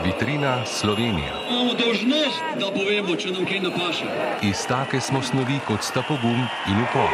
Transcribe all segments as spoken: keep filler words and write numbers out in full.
Vitrina Slovenija. Imamo dolžnost, da povemo, če nam kaj napaše. Iz take smo snovi, kot sta pogum in upor.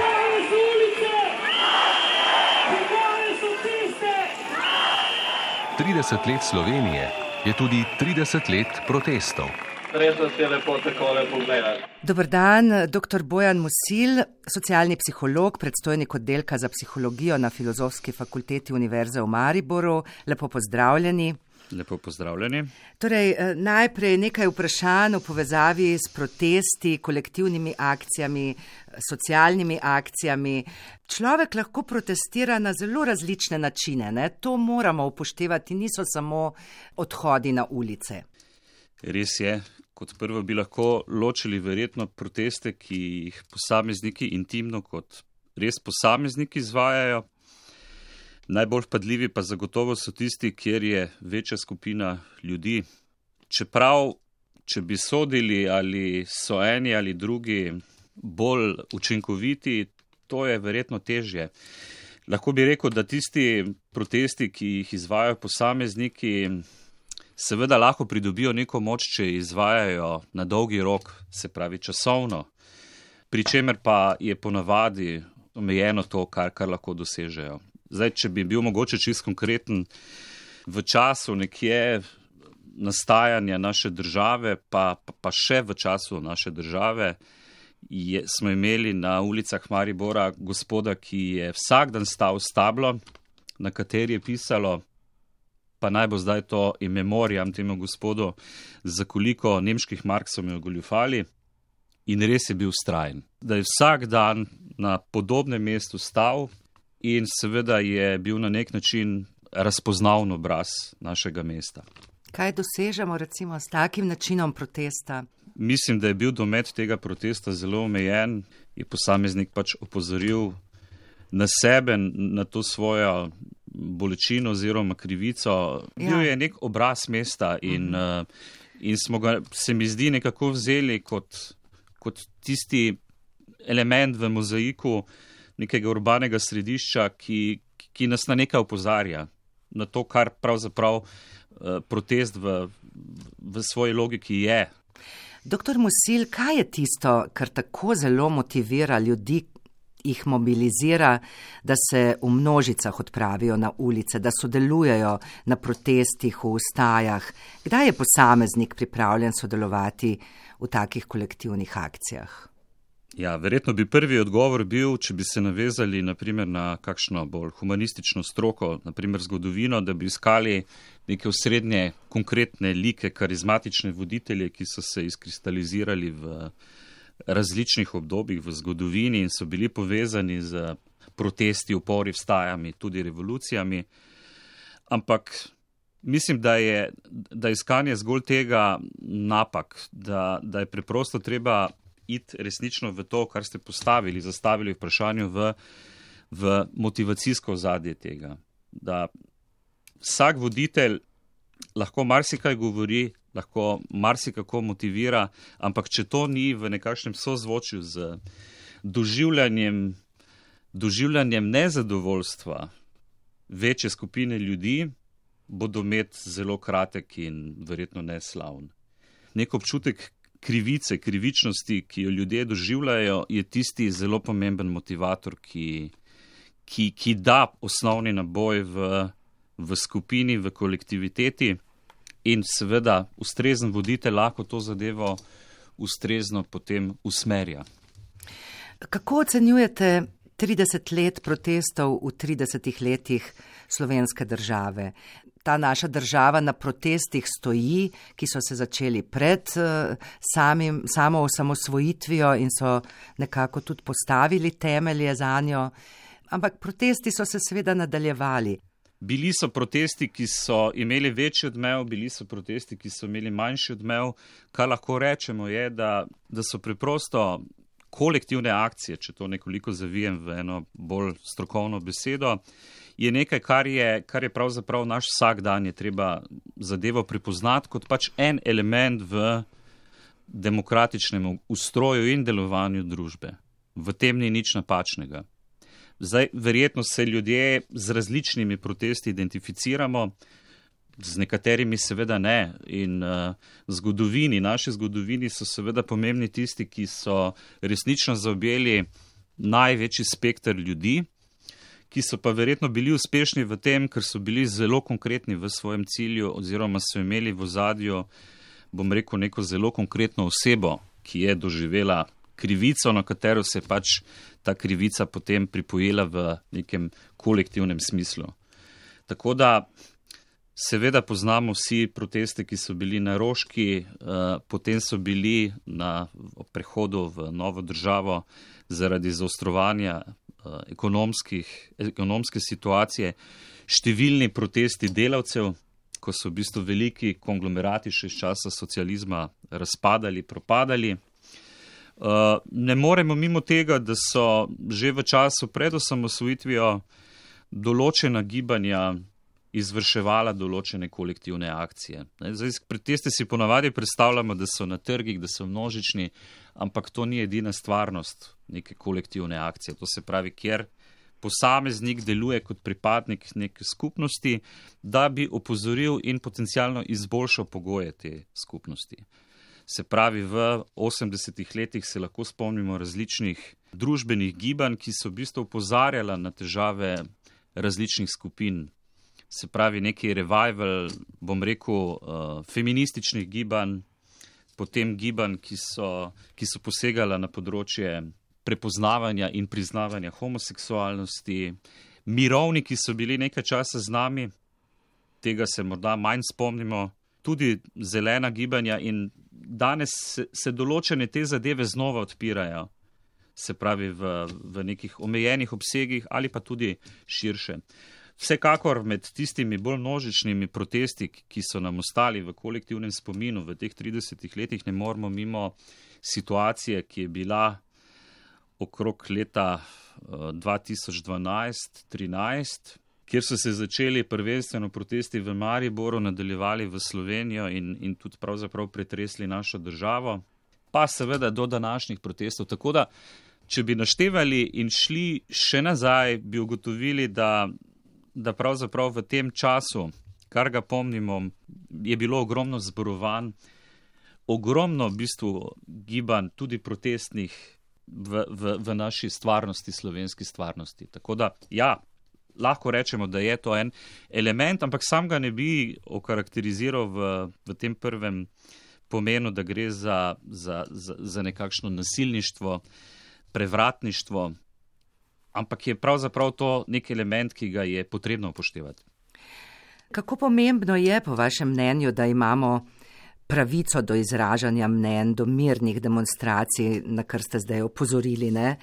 trideset let Slovenije je tudi trideset let protestov. Res nas je lepo takole pogledati. Dober dan, doktor Bojan Musil, socialni psiholog, predstojnik oddelka za psihologijo na Filozofski fakulteti Univerze v Mariboru. Lepo pozdravljeni. Lepo pozdravljeni. Torej, najprej nekaj vprašanj v povezavi s protesti, kolektivnimi akcijami, socialnimi akcijami. Človek lahko protestira na zelo različne načine, ne? To moramo upoštevati, niso samo odhodi na ulice. Res je. Kot prvo bi lahko ločili verjetno proteste, ki jih posamezniki intimno kot res posamezniki izvajajo. Najbolj vpadljivi pa zagotovo so tisti, kjer je večja skupina ljudi. Čeprav, če bi sodili, ali so eni ali drugi bolj učinkoviti, to je verjetno težje. Lahko bi rekel, da tisti protesti, ki jih izvajajo posamezniki, seveda lahko pridobijo neko moč, če izvajajo na dolgi rok, se pravi časovno, pri čemer pa je ponavadi omejeno to, kar, kar lahko dosežejo. Zdaj, če bi bil mogoče čist konkreten, v času nekje nastajanja naše države, pa, pa, pa še v času naše države, je, smo imeli na ulicah Maribora gospoda, ki je vsak dan stal s tablo, na kateri je pisalo, pa naj bo zdaj to in memoriam temu gospodu, za koliko nemških mark so me ogoljufali, in res je bil vztrajen. Da je vsak dan na podobnem mestu stal in seveda je bil na nek način razpoznaven obraz našega mesta. Kaj dosežemo recimo s takim načinom protesta? Mislim, da je bil domet tega protesta zelo omejen, je posameznik pač opozoril na sebe, na to svojo bolečino oziroma krivico. Ja. Bil je nek obraz mesta in, uh-huh. in smo ga, se mi zdi, nekako vzeli kot, kot tisti element v mozaiku nekega urbanega središča, ki, ki nas na nekaj opozarja, na to, kar pravzaprav uh, protest v, v svoji logiki je. Doktor Musil, kaj je tisto, kar tako zelo motivira ljudi, jih mobilizira, da se v množicah odpravijo na ulice, da sodelujejo na protestih, v ustajah? Kdaj je posameznik pripravljen sodelovati v takih kolektivnih akcijah? Ja, verjetno bi prvi odgovor bil, če bi se navezali naprimer na kakšno bolj humanistično stroko, naprimer zgodovino, da bi iskali neke osrednje konkretne like, karizmatične voditelje, ki so se izkristalizirali v različnih obdobjih v zgodovini in so bili povezani z protesti, upori, vstajami, tudi revolucijami. Ampak mislim, da je da iskanje zgolj tega napak, da, da je preprosto treba iti resnično v to, kar ste postavili, zastavili vprašanju v, v motivacijsko ozadje tega. Da vsak voditelj lahko marsikaj govori, lahko marsikako motivira, ampak če to ni v nekakšnem sozvočju z doživljanjem, doživljanjem nezadovoljstva večje skupine ljudi, bo domet zelo kratek in verjetno neslavn. Nek občutek krivice, krivičnosti, ki jo ljudje doživljajo, je tisti zelo pomemben motivator, ki, ki, ki da osnovni naboj v, v skupini, v kolektiviteti in seveda ustrezen voditelj lahko to zadevo ustrezno potem usmerja. Kako ocenjujete trideset let protestov v tridesetih letih slovenske države? Ta naša država na protestih stoji, ki so se začeli pred uh, samim, samo osamosvojitvijo in so nekako tudi postavili temelje zanjo, ampak protesti so se seveda nadaljevali. Bili so protesti, ki so imeli večji odmev, bili so protesti, ki so imeli manjši odmev. Kar lahko rečemo je, da, da so preprosto kolektivne akcije, če to nekoliko zavijem v eno bolj strokovno besedo, je nekaj, kar je, kar je pravzaprav naš vsak dan, je treba zadevo prepoznati kot pač en element v demokratičnem ustroju in delovanju družbe. V tem ni nič napačnega. Zdaj, verjetno se ljudje z različnimi protesti identificiramo. z nekaterimi seveda ne. In uh, zgodovini, naši zgodovini so seveda pomembni tisti, ki so resnično zaobjeli največji spekter ljudi, ki so pa verjetno bili uspešni v tem, ker so bili zelo konkretni v svojem cilju oziroma so imeli v ozadju, bom rekel, neko zelo konkretno osebo, ki je doživela krivico, na katero se je pač ta krivica potem pripojila v nekem kolektivnem smislu. Tako da seveda poznamo vsi proteste, ki so bili na Roški, potem so bili na prehodu v novo državo zaradi zaostrovanja ekonomske situacije, številni protesti delavcev, ko so v bistvu veliki konglomerati še iz časa socializma razpadali, propadali. Ne moremo mimo tega, da so že v času pred osamosvojitvijo določena gibanja izvrševala določene kolektivne akcije. Zdaj, proteste si ponavadi predstavljamo, da so na trgih, da so množični, ampak to ni edina stvarnost neke kolektivne akcije. To se pravi, kjer posameznik deluje kot pripadnik neke skupnosti, da bi opozoril in potencialno izboljšal pogoje te skupnosti. Se pravi, v osemdesetih letih se lahko spomnimo različnih družbenih gibanj, ki so v bistvu opozarjala na težave različnih skupin. Se pravi, neki revival, bom rekel, feminističnih gibanj, potem gibanj, ki so, ki so posegala na področje prepoznavanja in priznavanja homoseksualnosti, mirovni, ki so bili nekaj časa z nami, tega se morda manj spomnimo, tudi zelena gibanja in danes se, se določene te zadeve znova odpirajo, se pravi v, v nekih omejenih obsegih ali pa tudi širše. Vsekakor med tistimi bolj množičnimi protesti, ki so nam ostali v kolektivnem spominu v teh tridesetih letih, ne moremo mimo situacije, ki je bila okrog leta dva tisoč dvanajst trinajst, kjer so se začeli prvenstveno protesti v Mariboru, nadaljevali v Slovenijo in, in tudi pravzaprav pretresli našo državo, pa seveda do današnjih protestov. Tako da, če bi naštevali in šli še nazaj, bi ugotovili, da, da pravzaprav v tem času, kar ga pomnimo, je bilo ogromno zborovanj, ogromno v bistvu gibanj, tudi protestnih v, v, v naši stvarnosti, slovenski stvarnosti. Tako da, ja, lahko rečemo, da je to en element, ampak sam ga ne bi okarakteriziral v, v tem prvem pomenu, da gre za, za, za, za nekakšno nasilništvo, prevratništvo, ampak je pravzaprav to nek element, ki ga je potrebno upoštevati. Kako pomembno je po vašem mnenju, da imamo pravico do izražanja mnenj, do mirnih demonstracij, na kar ste zdaj opozorili, ne,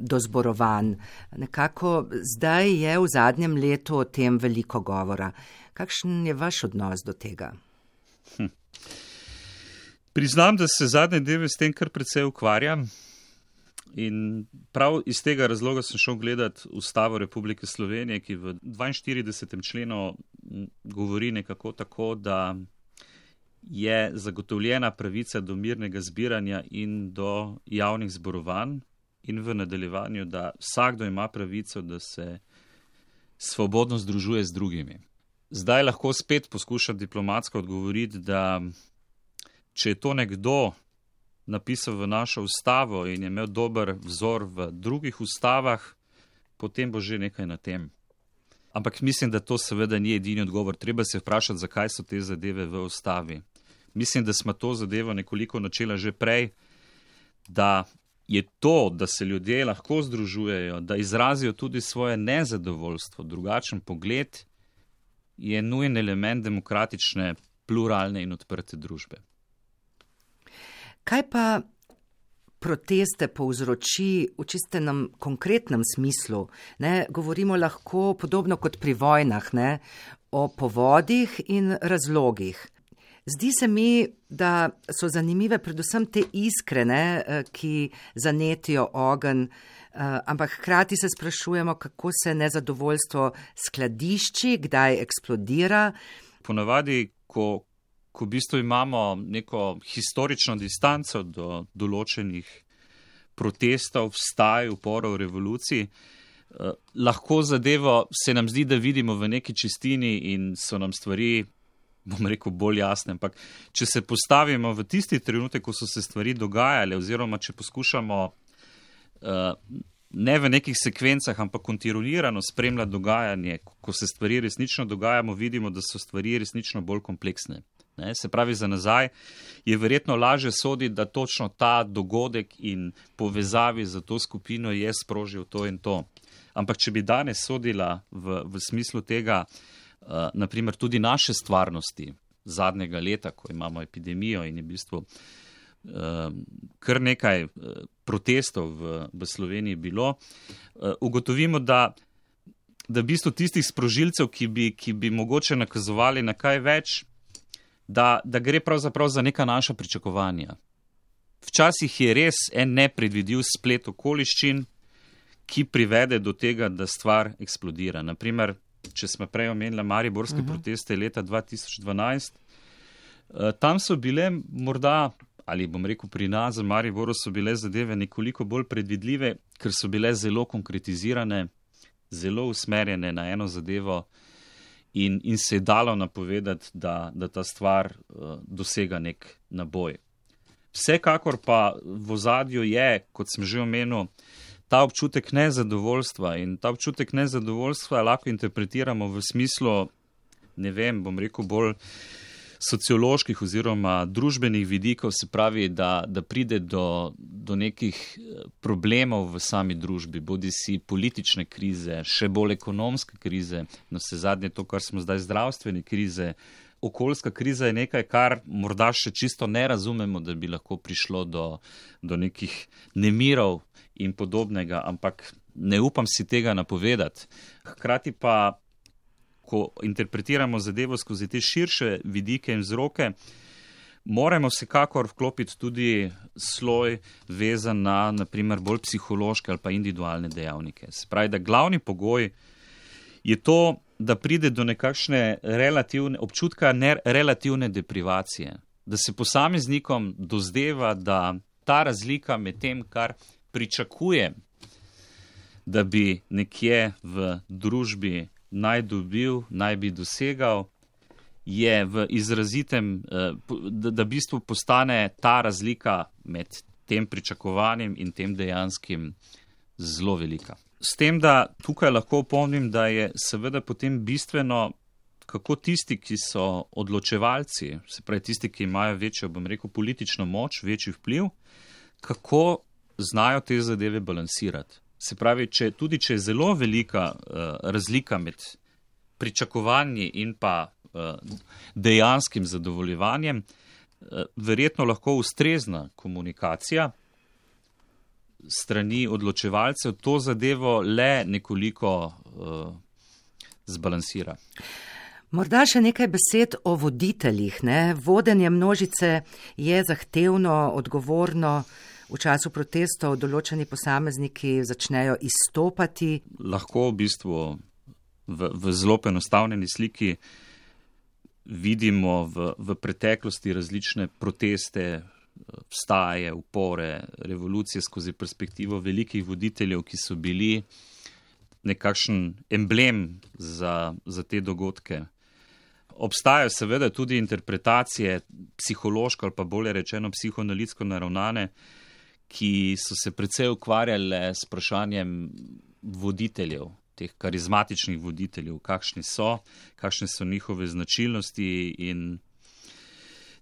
do zborovanj. Nekako zdaj je v zadnjem letu o tem veliko govora. Kakšen je vaš odnos do tega? Hm. Priznam, da se zadnje dneve s tem kar precej ukvarjam in prav iz tega razloga sem šel gledati Ustavo Republike Slovenije, ki v dvainštiridesetem členu govori nekako tako, da je zagotovljena pravica do mirnega zbiranja in do javnih zborovanj in v nadaljevanju, da vsakdo ima pravico, da se svobodno združuje z drugimi. Zdaj lahko spet poskušam diplomatsko odgovoriti, da če je to nekdo napisal v našo ustavo in je imel dober vzor v drugih ustavah, potem bo že nekaj na tem. Ampak mislim, da to seveda ni edini odgovor. Treba se vprašati, zakaj so te zadeve v ustavi. Mislim, da smo to zadevo nekoliko načela že prej, da je to, da se ljudje lahko združujejo, da izrazijo tudi svoje nezadovoljstvo, drugačen pogled, je nujen element demokratične, pluralne in odprte družbe. Kaj pa proteste povzroči v čistenem konkretnem smislu? Ne, govorimo lahko podobno kot pri vojnah, ne, o povodih in razlogih. Zdi se mi, da so zanimive predvsem te iskre, ne, ki zanetijo ogenj, ampak hkrati se sprašujemo, kako se nezadovoljstvo skladišči, kdaj eksplodira. Ponavadi, ko ko v bistvu imamo neko historično distanco do določenih protestov, vstaj, uporov, revolucij, eh, lahko zadevo se nam zdi, da vidimo v neki čistini in so nam stvari bom rekel, bolj jasne. Ampak če se postavimo v tisti trenutek, ko so se stvari dogajale, oziroma če poskušamo uh, ne v nekih sekvencah, ampak kontinuirano spremljati dogajanje, ko se stvari resnično dogajamo, vidimo, da so stvari resnično bolj kompleksne. Ne, se pravi, za nazaj je verjetno lažje soditi, da točno ta dogodek in povezavi za to skupino je sprožil to in to. Ampak če bi danes sodila v, v smislu tega, uh, naprimer tudi naše stvarnosti zadnjega leta, ko imamo epidemijo in je v bistvu uh, kar nekaj uh, protestov v, v Sloveniji bilo, uh, ugotovimo, da, da v bistvu tistih sprožilcev, ki bi, ki bi mogoče nakazovali na kaj več, Da, da gre pravzaprav za neka naša pričakovanja. Včasih je res en nepredvidljiv splet okoliščin, ki privede do tega, da stvar eksplodira. Naprimer, če smo prej omenili mariborske uh-huh. proteste leta dva tisoč dvanajst, tam so bile morda, ali bom rekel pri nas, v Mariboru so bile zadeve nekoliko bolj predvidljive, ker so bile zelo konkretizirane, zelo usmerjene na eno zadevo, In, in se je dalo napovedati, da, da ta stvar uh, dosega nek naboj. Vsekakor pa v ozadju je, kot sem že omenil, ta občutek nezadovoljstva in ta občutek nezadovoljstva lahko interpretiramo v smislu, ne vem, bom rekel bolj socioloških oziroma družbenih vidikov, se pravi, da, da pride do, do nekih problemov v sami družbi, bodi si politične krize, še bolj ekonomske krize, no vse zadnje to, kar smo zdaj zdravstvene krize. Okoljska kriza je nekaj, kar morda še čisto ne razumemo, da bi lahko prišlo do, do nekih nemirov in podobnega, ampak ne upam si tega napovedati. Hkrati pa ko interpretiramo zadevo skozi te širše vidike in vzroke, moramo vsekakor vklopiti tudi sloj vezan na, naprimer, bolj psihološke ali pa individualne dejavnike. Se pravi, da glavni pogoj je to, da pride do nekakšne relativne, občutka ne, relativne deprivacije, da se posameznikom dozdeva, da ta razlika med tem, kar pričakuje, da bi nekje v družbi naj dobil, naj bi dosegal, je v izrazitem, da, da v bistvu postane ta razlika med tem pričakovanjem in tem dejanskim zelo velika. S tem, da tukaj lahko opomnim, da je seveda potem bistveno, kako tisti, ki so odločevalci, se pravi tisti, ki imajo večjo, bom rekel, politično moč, večji vpliv, kako znajo te zadeve balansirati. Se pravi, če, tudi če je zelo velika uh, razlika med pričakovanji in pa uh, dejanskim zadovoljevanjem, uh, verjetno lahko ustrezna komunikacija strani odločevalcev to zadevo le nekoliko uh, zbalansira. Morda še nekaj besed o voditeljih. Ne? Vodenje množice je zahtevno, odgovorno. V času protestov določeni posamezniki začnejo izstopati. Lahko v bistvu v, v zelo enostavljeni sliki vidimo v, v preteklosti različne proteste, vstaje, upore, revolucije skozi perspektivo velikih voditeljev, ki so bili nekakšen emblem za, za te dogodke. Obstajajo seveda tudi interpretacije psihološko ali pa bolje rečeno psihoanalitsko naravnane, ki so se precej ukvarjale s vprašanjem voditeljev, teh karizmatičnih voditeljev, kakšni so, kakšne so njihove značilnosti in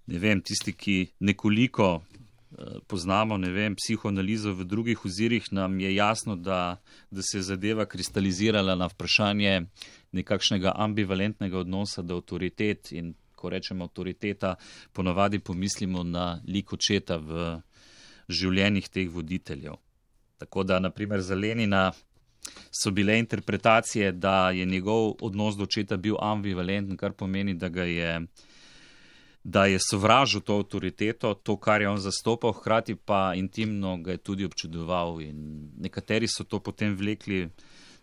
ne vem, tisti, ki nekoliko eh, poznamo, ne vem, psihoanalizo v drugih ozirih, nam je jasno, da, da se je zadeva kristalizirala na vprašanje nekakšnega ambivalentnega odnosa do avtoritet in ko rečemo avtoriteta, ponavadi pomislimo na lik očeta v življenjih teh voditeljev. Tako da, naprimer, za Lenina so bile interpretacije, da je njegov odnos do očeta bil ambivalenten, kar pomeni, da ga je, da je sovražil to avtoriteto, to, kar je on zastopal, hkrati pa intimno ga je tudi občudoval in nekateri so to potem vlekli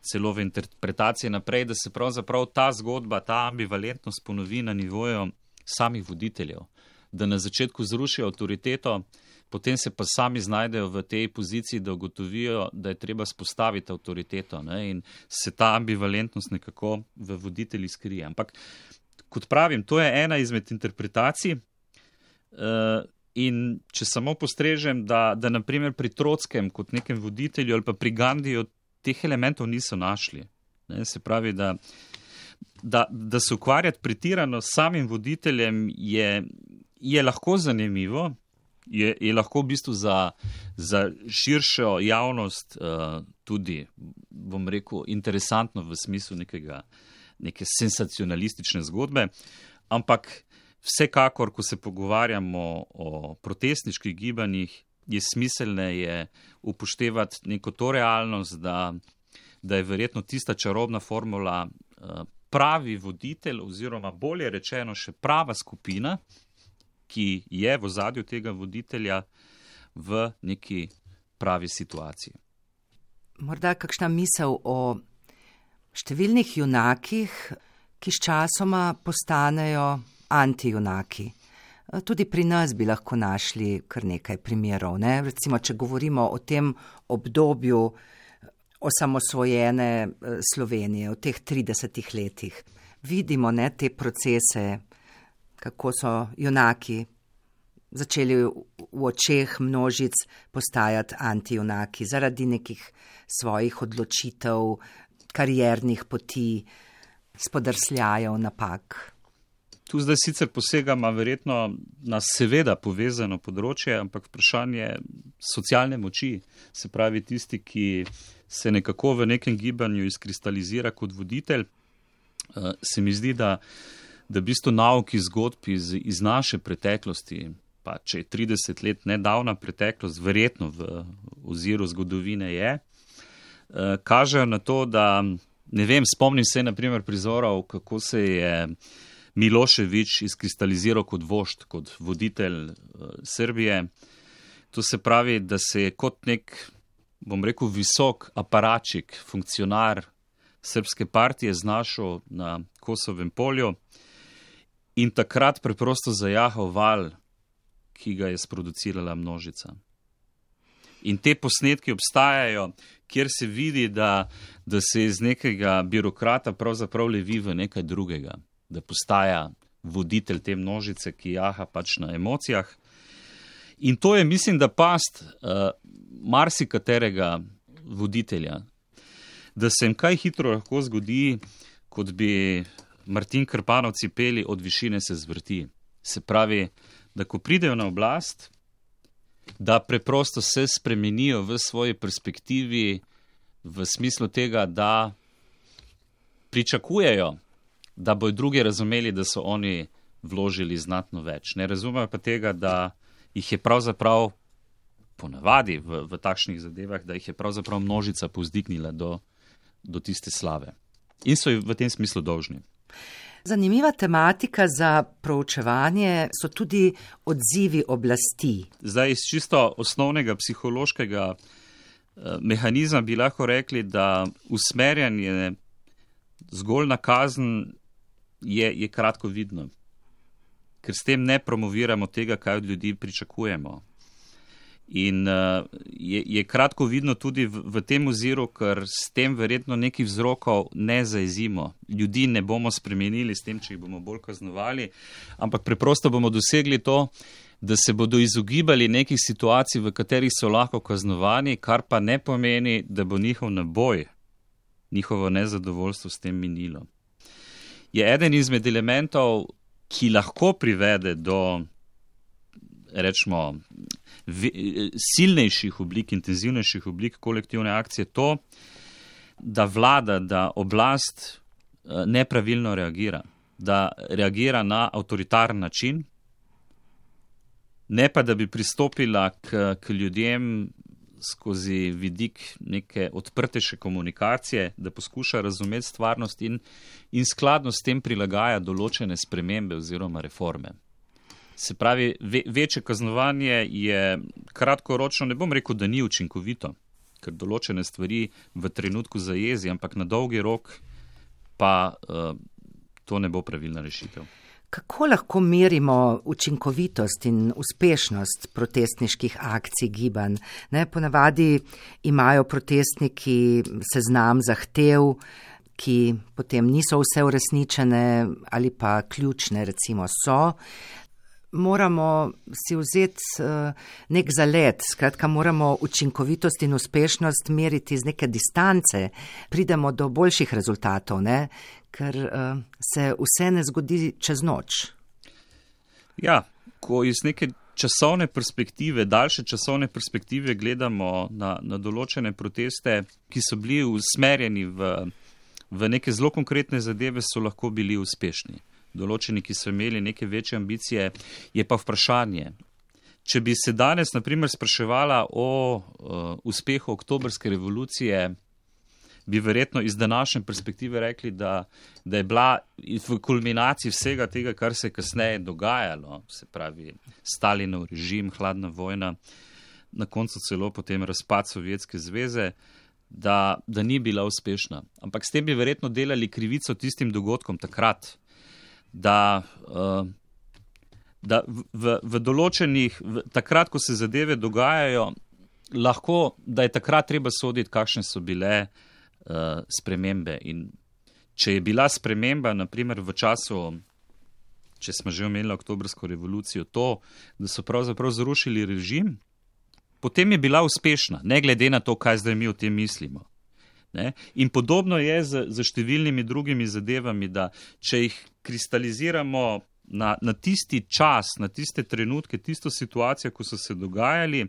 celo v interpretacije naprej, da se pravzaprav ta zgodba, ta ambivalentnost ponovi na nivoju samih voditeljev, da na začetku zrušijo avtoriteto, potem se pa sami znajdejo v tej poziciji, da ugotovijo, da je treba spostaviti avtoriteto, ne? In se ta ambivalentnost nekako v voditelji skrije. Ampak kot pravim, to je ena izmed interpretacij. In če samo postrežem, da, da naprimer pri Trotskem kot nekem voditelju ali pa pri Gandhiju teh elementov niso našli. Ne, se pravi, da, da, da se ukvarjati pretirano s samim voditeljem je, je lahko zanimivo, je, je lahko v bistvu za, za širšo javnost uh, tudi, bom rekel, interesantno v smislu nekega, neke sensacionalistične zgodbe, ampak vsekakor, ko se pogovarjamo o protestniških gibanjih, je smiselne je upoštevati neko to realnost, da, da je verjetno tista čarobna formula pravi voditelj oziroma bolje rečeno še prava skupina, ki je v ozadju tega voditelja v neki pravi situaciji. Morda kakšna misel o številnih junakih, ki s časoma postanejo antijunaki. Tudi pri nas bi lahko našli kar nekaj primerov. Ne? Recimo, če govorimo o tem obdobju osamosvojene Slovenije, v teh tridesetih letih, vidimo ne, te procese, kako so junaki začeli v očeh množic postajati antijunaki zaradi nekih svojih odločitev, kariernih poti, spodrsljajev, napak. Tu zdaj sicer posegama verjetno na seveda povezano področje, ampak vprašanje socialne moči, se pravi tisti, ki se nekako v nekem gibanju izkristalizira kot voditelj, se mi zdi, da, da v bistvu nauki zgodb iz, iz naše preteklosti, pa če je trideset let nedavna preteklost, verjetno v oziru zgodovine je, kažejo na to, da, ne vem, spomnim se na primer prizorov, kako se je Milošević izkristaliziral kot vožd, kot voditelj Srbije. To se pravi, da se je kot nek, bom rekel, visok aparačik, funkcionar srpske partije znašel na Kosovem polju in takrat preprosto zajahal val, ki ga je sproducirala množica. In te posnetki obstajajo, kjer se vidi, da, da se iz nekega birokrata pravzaprav levi v nekaj drugega, da postaja voditelj te množice, ki jaha pač na emocijah. In to je, mislim, da past uh, marsikaterega voditelja, da se jim kaj hitro lahko zgodi, kot bi Martin Krpanovci peli, od višine se zvrti. Se pravi, da ko pridejo na oblast, da preprosto se spremenijo v svoji perspektivi v smislu tega, da pričakujejo, da bojo drugi razumeli, da so oni vložili znatno več. Ne razumejo pa tega, da jih je pravzaprav ponavadi v, v takšnih zadevah, da jih je pravzaprav množica povzdignila do, do tiste slave. In so jih v tem smislu dolžni. Zanimiva tematika za proučevanje so tudi odzivi oblasti. Zdaj iz čisto osnovnega psihološkega eh, mehanizma bi lahko rekli, da usmerjanje zgolj na kazen je, je kratko vidno, ker s tem ne promoviramo tega, kaj od ljudi pričakujemo. In uh, je, je kratko vidno tudi v, v tem oziru, ker s tem verjetno nekih vzrokov ne zaezimo. Ljudi ne bomo spremenili s tem, če jih bomo bolj kaznovali, ampak preprosto bomo dosegli to, da se bodo izogibali nekih situacij, v katerih so lahko kaznovani, kar pa ne pomeni, da bo njihov naboj, njihovo nezadovoljstvo s tem minilo. Je eden izmed elementov, ki lahko privede do, rečemo, silnejših oblik, intenzivnejših oblik kolektivne akcije to, da vlada, da oblast nepravilno reagira, da reagira na avtoritarni način, ne pa da bi pristopila k, k ljudem skozi vidik neke odprtejše komunikacije, da poskuša razumeti stvarnost in, in skladno s tem prilagaja določene spremembe oziroma reforme. Se pravi, ve, večje kaznovanje je kratkoročno, ne bom rekel, da ni učinkovito, ker določene stvari v trenutku zajezi, ampak na dolgi rok pa uh, to ne bo pravilna rešitev. Kako lahko merimo učinkovitost in uspešnost protestniških akcij gibanj? Ne, ponavadi imajo protestniki seznam zahtev, ki potem niso vse uresničene ali pa ključne, recimo so, moramo si vzeti nek zalet, skratka moramo učinkovitost in uspešnost meriti z neke distance, pridemo do boljših rezultatov, ne? Ker se vse ne zgodi čez noč. Ja, ko iz neke časovne perspektive, daljše časovne perspektive gledamo na, na določene proteste, ki so bili usmerjeni v, v neke zelo konkretne zadeve, so lahko bili uspešni. Določeni, ki so imeli neke večje ambicije, je pa vprašanje. Če bi se danes, na primer, spraševala o uh, uspehu oktobrske revolucije, bi verjetno iz današnje perspektive rekli, da, da je bila v kulminaciji vsega tega, kar se je kasneje dogajalo, se pravi Stalinov režim, hladna vojna, na koncu celo potem razpad Sovjetske zveze, da, da ni bila uspešna. Ampak s tem bi verjetno delali krivico tistim dogodkom takrat, da, uh, da v, v določenih, v, takrat, ko se zadeve dogajajo, lahko, da je takrat treba soditi, kakšne so bile uh, spremembe. In če je bila sprememba, naprimer v času, če smo že omenili oktobrsko revolucijo, to, da so pravzaprav zrušili režim, potem je bila uspešna, ne glede na to, kaj zdaj mi o tem mislimo. Ne? In podobno je z, z številnimi drugimi zadevami, da če jih kristaliziramo na, na tisti čas, na tiste trenutke, tisto situacijo, ko so se dogajali,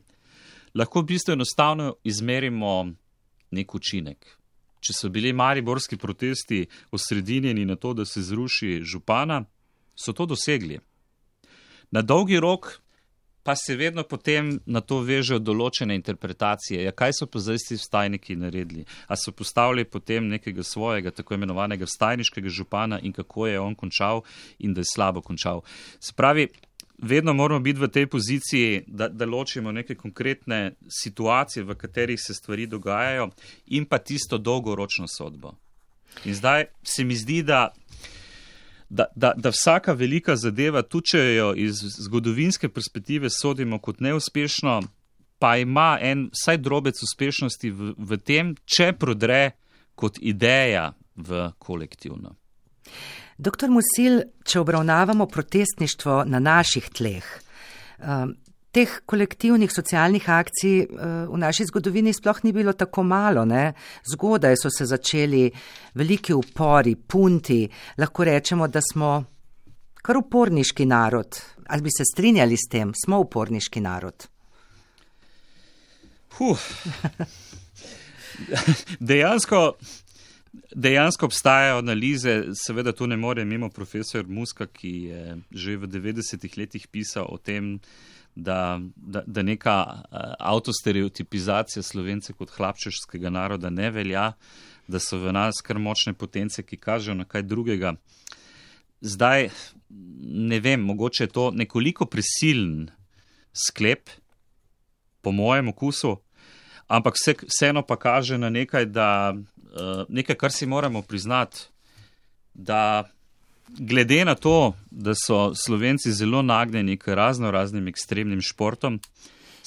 lahko v bistvu enostavno izmerimo nek učinek. Če so bili mariborski protesti osredinjeni na to, da se zruši župana, so to dosegli. Na dolgi rok pa se vedno potem na to vežejo določene interpretacije. Ja, kaj so pa zdaj ti vstajniki naredili? A so postavili potem nekega svojega, tako imenovanega vstajniškega župana in kako je on končal in da je slabo končal. Se pravi, vedno moramo biti v tej poziciji, da, da ločimo neke konkretne situacije, v katerih se stvari dogajajo in pa tisto dolgoročno sodbo. In zdaj se mi zdi, da Da, da, da vsaka velika zadeva, tudi če jo iz zgodovinske perspektive sodimo kot neuspešno, pa ima en vsaj drobec uspešnosti v, v tem, če prodre kot ideja v kolektivno. Doktor Musil, če obravnavamo protestništvo na naših tleh, teh kolektivnih socialnih akcij v naši zgodovini sploh ni bilo tako malo, ne? Zgodaj so se začeli veliki upori, punti, lahko rečemo, da smo kar uporniški narod. Ali bi se strinjali s tem? Smo uporniški narod? Huh. Dejansko, dejansko obstajajo analize, seveda tu ne more mimo profesor Muska, ki je že v devetdesetih letih pisal o tem, Da, da, da neka avtostereotipizacija Slovence kot hlapčevskega naroda ne velja, da so v nas kar močne potence, ki kažejo na kaj drugega. Zdaj, ne vem, mogoče je to nekoliko prisilen sklep, po mojem okusu, ampak vse, vseeno pa kaže na nekaj, da, nekaj, kar si moramo priznati, da glede na to, da so Slovenci zelo nagnjeni k razno raznim ekstremnim športom,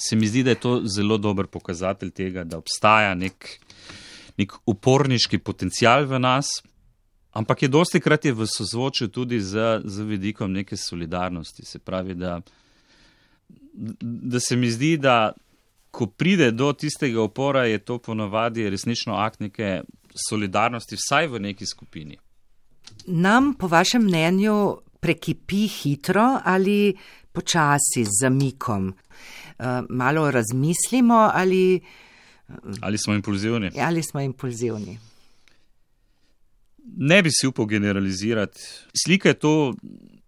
se mi zdi, da je to zelo dober pokazatelj tega, da obstaja nek, nek uporniški potencial v nas, ampak je dosti krat je v sozvočju tudi z, z vidikom neke solidarnosti. Se pravi, da, da se mi zdi, da ko pride do tistega upora, je to ponovadi resnično akt neke solidarnosti, vsaj v neki skupini. Nam, po vašem mnenju, prekipi hitro ali počasi z zamikom? Uh, malo razmislimo ali... Ali smo impulzivni? Ali smo impulzivni. Ne bi si upal generalizirati. Slika je to,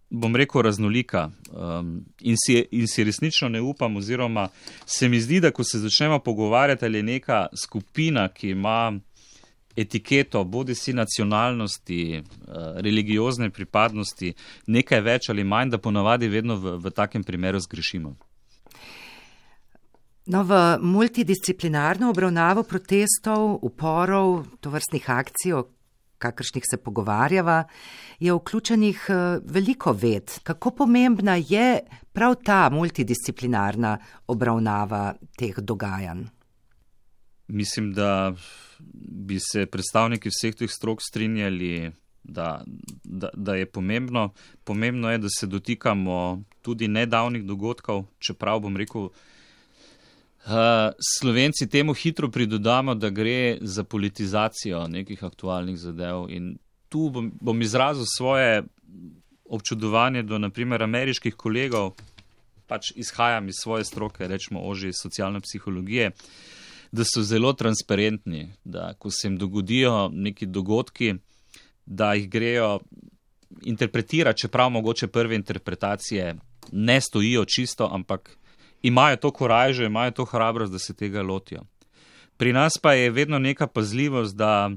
bom rekel, raznolika um, in, si, in si resnično ne upam, oziroma se mi zdi, da ko se začnemo pogovarjati, ali je neka skupina, ki ima etiketo, bodi si nacionalnosti, religiozne pripadnosti, nekaj več ali manj, da ponavadi vedno v, v takem primeru zgrešimo. No, v multidisciplinarno obravnavo protestov, uporov, tovrstnih akcij, o kakršnih se pogovarjava, je vključenih veliko ved. Kako pomembna je prav ta multidisciplinarna obravnava teh dogajanj? Mislim, da bi se predstavniki vseh teh strok strinjali, da, da, da je pomembno. Pomembno je, da se dotikamo tudi nedavnih dogodkov, čeprav bom rekel, Uh, Slovenci temu hitro pridodamo, da gre za politizacijo nekih aktualnih zadev in tu bom, bom izrazil svoje občudovanje do naprimer ameriških kolegov, pač izhajam iz svoje stroke, rečemo ožje iz socialne psihologije, da so zelo transparentni, da ko se jim dogodijo neki dogodki, da jih grejo interpretirati, čeprav mogoče prve interpretacije ne stojijo čisto, ampak imajo to korajžo, imajo to hrabrost, da se tega lotijo. Pri nas pa je vedno neka pazljivost, da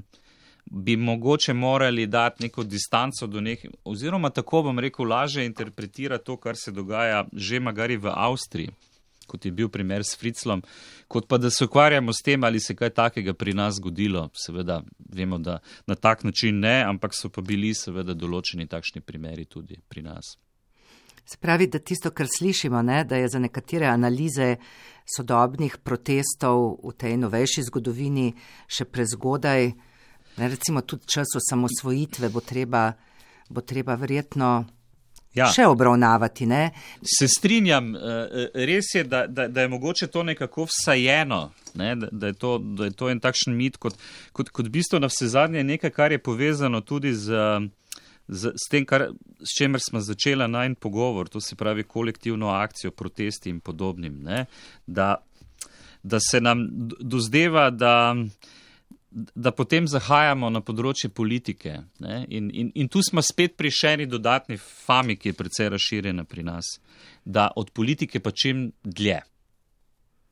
bi mogoče morali dati neko distanco do nekih, oziroma tako bom rekel, lažje interpretirati to, kar se dogaja že magari v Avstriji, kot je bil primer s Fritzlom, kot pa da se ukvarjamo s tem, ali se kaj takega pri nas zgodilo. Seveda vemo, da na tak način ne, ampak so pa bili seveda določeni takšni primeri tudi pri nas. Se pravi, da tisto, kar slišimo, ne, da je za nekatere analize sodobnih protestov v tej novejši zgodovini še prezgodaj, ne, recimo tudi čas osamosvojitve bo treba, bo treba verjetno ja. še obravnavati. Ne? Se strinjam, res je, da, da, da je mogoče to nekako vsajeno, ne, da, da, je to, da je to en takšen mit, kot, kot, kot bistvo na vse zadnje nekaj, kar je povezano tudi z Z, s tem, kar, s čemer smo začela najin pogovor, to se pravi kolektivno akcijo, protesti in podobnim, ne? Da, da se nam dozdeva, da, da potem zahajamo na področje politike. Ne? In, in, in tu smo spet pri še eni dodatni fami, ki je precej razširjena pri nas, da od politike pa čim dlje.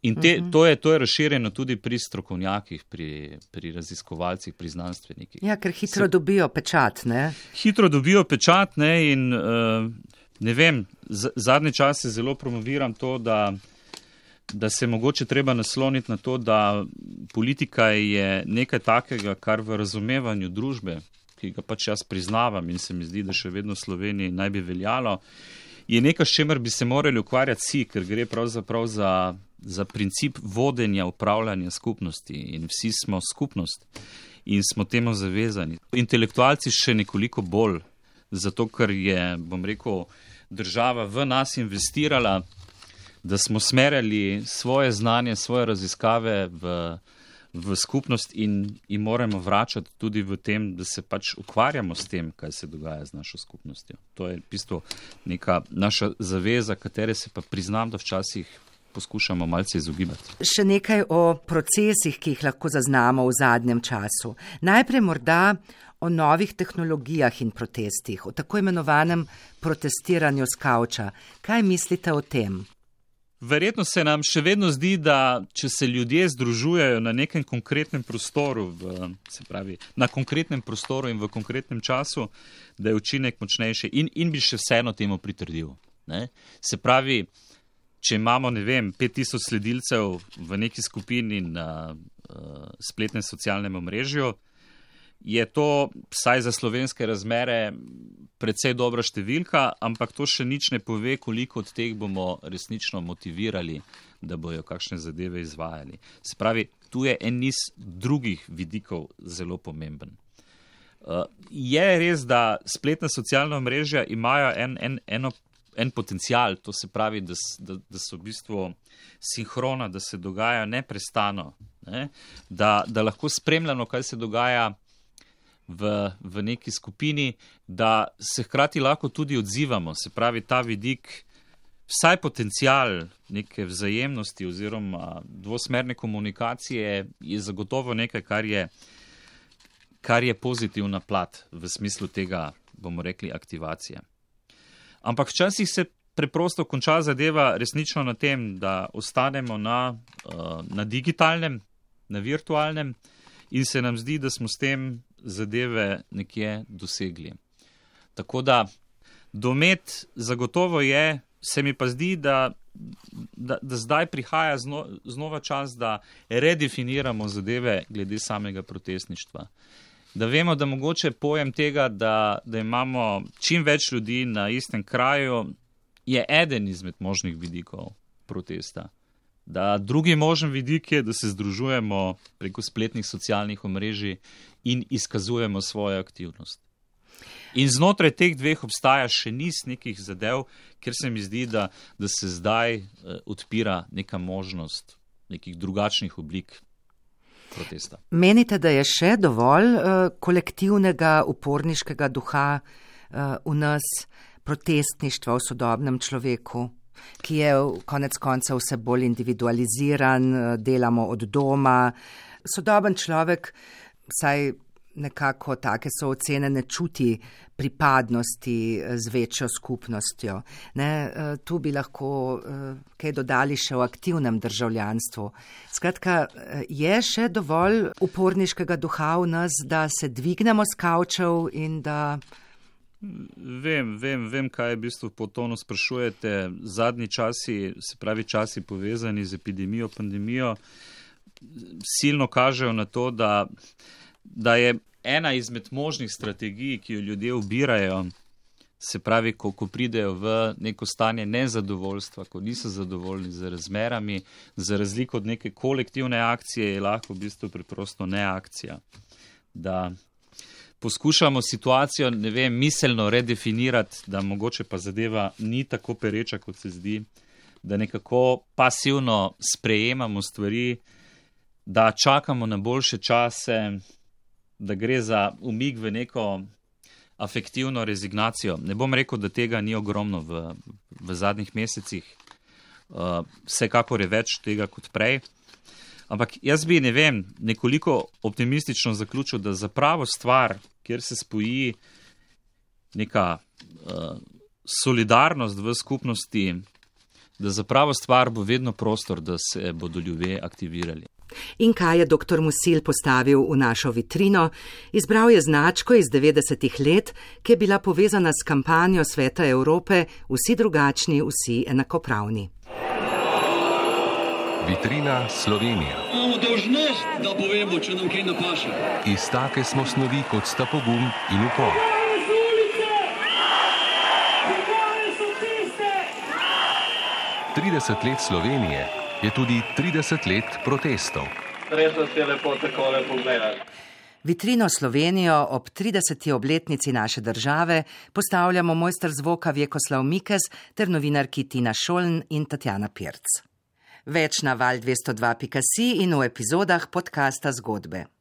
In te, to, je, to je razširjeno tudi pri strokovnjakih, pri, pri raziskovalcih, pri znanstvenikih. Ja, ker hitro Se, dobijo pečat, ne? Hitro dobijo pečat, ne, in uh, ne vem, z, zadnje čase zelo promoviram to, da, da se mogoče treba nasloniti na to, da politika je nekaj takega, kar v razumevanju družbe, ki ga pač jaz priznavam in se mi zdi, da še vedno v Sloveniji naj bi veljalo, je nekaj, s čemer bi se morali ukvarjati vsi, ker gre pravzaprav za za princip vodenja, upravljanja skupnosti in vsi smo skupnost in smo temu zavezani. Intelektualci še nekoliko bolj, zato ker je, bom rekel, država v nas investirala, da smo smerjali svoje znanje, svoje raziskave v, v skupnost in, in moramo vračati tudi v tem, da se pač ukvarjamo s tem, kaj se dogaja z našo skupnostjo. To je v bistvu neka naša zaveza, katere se pa priznam, da včasih poskušamo malce izogibati. Še nekaj o procesih, ki jih lahko zaznamo v zadnjem času. Najprej morda o novih tehnologijah in protestih, o tako imenovanem protestiranju s kavča. Kaj mislite o tem? Verjetno se nam še vedno zdi, da če se ljudje združujejo na nekem konkretnem prostoru, v, se pravi, na konkretnem prostoru in v konkretnem času, da je učinek močnejši in, in bi še vseeno temu pritrdil. Ne? Se pravi, če imamo, ne vem, pet tisoč sledilcev v neki skupini na uh, spletnem socialnem omrežju, je to, vsaj za slovenske razmere, precej dobra številka, ampak to še nič ne pove, koliko od teh bomo resnično motivirali, da bojo kakšne zadeve izvajali. Se pravi, tu je en niz drugih vidikov zelo pomemben. Uh, je res, da spletna socialna omrežja imajo en, en, eno en potencial, to se pravi, da, da, da so v bistvu sinhrona, da se dogaja neprestano, ne? da, da lahko spremljamo, kaj se dogaja v, v neki skupini, da se hkrati lahko tudi odzivamo, se pravi, ta vidik, vsaj potencial neke vzajemnosti oziroma dvosmerne komunikacije je zagotovo nekaj, kar je, kar je pozitivna plat v smislu tega, bomo rekli, aktivacije. Ampak včasih se preprosto konča zadeva resnično na tem, da ostanemo na, na digitalnem, na virtualnem in se nam zdi, da smo s tem zadeve nekje dosegli. Tako da domet zagotovo je, se mi pa zdi, da, da, da zdaj prihaja zno, znova čas, da redefiniramo zadeve glede samega protestništva. Da vemo, da mogoče pojem tega, da, da imamo čim več ljudi na istem kraju, je eden izmed možnih vidikov protesta. Da drugi možen vidik je, da se združujemo preko spletnih socialnih omrežij in izkazujemo svojo aktivnost. In znotraj teh dveh obstaja še niz nekih zadev, kjer se mi zdi, da, da se zdaj eh, odpira neka možnost nekih drugačnih oblik protesta. Menite, da je še dovolj uh, kolektivnega uporniškega duha uh, v nas, protestništva v sodobnem človeku, ki je konec konca vse bolj individualiziran, uh, delamo od doma. Sodoben človek, saj nekako take so ocene, ne čuti pripadnosti z večjo skupnostjo. Ne, tu bi lahko kaj dodali še o aktivnem državljanstvu. Skratka, je še dovolj uporniškega duha v nas, da se dvignemo s kavčev in da... Vem, vem, vem, kaj je v bistvu po tonu sprašujete. Zadnji časi, se pravi časi povezani z epidemijo, pandemijo, silno kažejo na to, da da je ena izmed možnih strategij, ki jo ljudje ubirajo, se pravi, ko, ko pridejo v neko stanje nezadovoljstva, ko niso zadovoljni z razmerami, za razliko od neke kolektivne akcije, je lahko v bistvu preprosto neakcija. Da poskušamo situacijo, ne vem, miselno redefinirati, da mogoče pa zadeva ni tako pereča, kot se zdi, da nekako pasivno sprejemamo stvari, da čakamo na boljše čase, da gre za umik v neko afektivno rezignacijo. Ne bom rekel, da tega ni ogromno v, v zadnjih mesecih, uh, vsekakor je več tega kot prej. Ampak jaz bi, ne vem, nekoliko optimistično zaključil, da za pravo stvar, kjer se spoji neka uh, solidarnost v skupnosti, da za pravo stvar bo vedno prostor, da se bodo ljudje aktivirali. In kaj je doktor Musil postavil v našo vitrino? Izbral je značko iz devetdesetih let, ki je bila povezana s kampanjo Sveta Evrope Vsi drugačni, vsi enakopravni. Vitrina Slovenija. Imamo dolžnost, da povemo, če nam kaj ne paše. Iz take smo snovi, kot sta pogum in upor. trideset let Slovenije je tudi trideset let protestov. Res nas je lepo takole pogledati. Vitrino Slovenijo ob trideseti obletnici naše države postavljamo mojster zvoka Vjekoslav Mikes ter novinarki Tina Šoln in Tatjana Pirc. Več na val dvesto dva pika si in v epizodah podcasta Zgodbe.